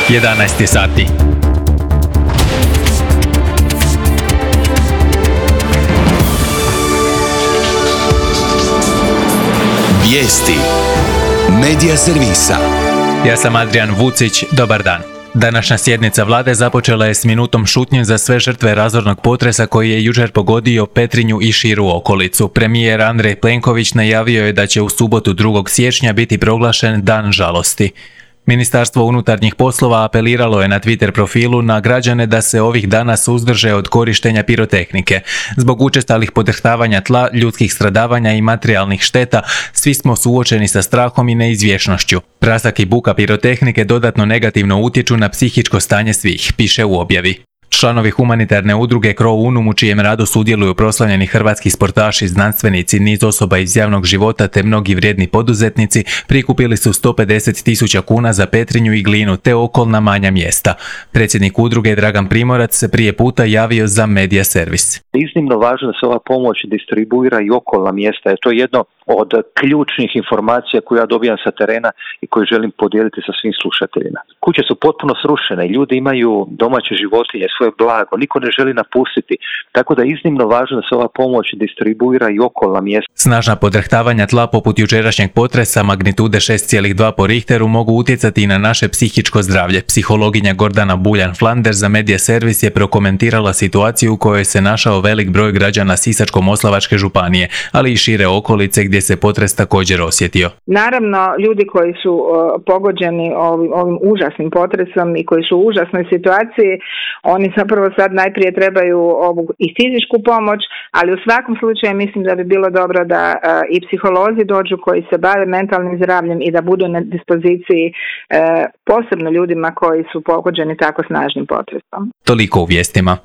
11 sati. Vijesti Medija servisa. Ja sam Adrian Vucić, dobar dan. Današnja sjednica vlade započela je s minutom šutnje za sve žrtve razornog potresa koji je jučer pogodio Petrinju i širu okolicu. Premijer Andrej Plenković najavio je da će u subotu 2. siječnja biti proglašen Dan žalosti. Ministarstvo unutarnjih poslova apeliralo je na Twitter profilu na građane da se ovih dana suzdrže od korištenja pirotehnike. Zbog učestalih podrhtavanja tla, ljudskih stradavanja i materijalnih šteta, svi smo suočeni sa strahom i neizvjesnošću. Prasak i buka pirotehnike dodatno negativno utječu na psihičko stanje svih, piše u objavi. Članovi humanitarne udruge Cro Unum, u čijem radu sudjeluju proslavljeni hrvatski sportaši, znanstvenici, niz osoba iz javnog života te mnogi vrijedni poduzetnici, prikupili su 150.000 kuna za Petrinju i Glinu te okolna manja mjesta. Predsjednik udruge Dragan Primorac se prije puta javio za medija servis. Iznimno važno da se ova pomoć distribuira i okolna mjesta. To je jedno od ključnih informacija koje ja dobijam sa terena i koje želim podijeliti sa svim slušateljima. Kuće su potpuno srušene, ljudi imaju domaće životinje, svoje blago, niko ne želi napustiti, tako da je iznimno važno da se ova pomoć distribuira i okolna mjesta. Snažna podrhtavanja tla poput jučerašnjeg potresa magnitude 6,2 po Richteru mogu utjecati i na naše psihičko zdravlje. Psihologinja Gordana Buljan-Flander za medija servis je prokomentirala situaciju u kojoj se našao velik broj građana Sisačko-moslavačke županije, ali i šire okolice gdje se potres također osjetio. Naravno, ljudi koji su pogođeni ovim užasnim potresom i koji su u užasnoj situaciji, oni zapravo sad najprije trebaju ovu i fizičku pomoć, ali u svakom slučaju mislim da bi bilo dobro da i psiholozi dođu koji se bave mentalnim zdravljem i da budu na dispoziciji posebno ljudima koji su pogođeni tako snažnim potresom. Toliko u vijestima.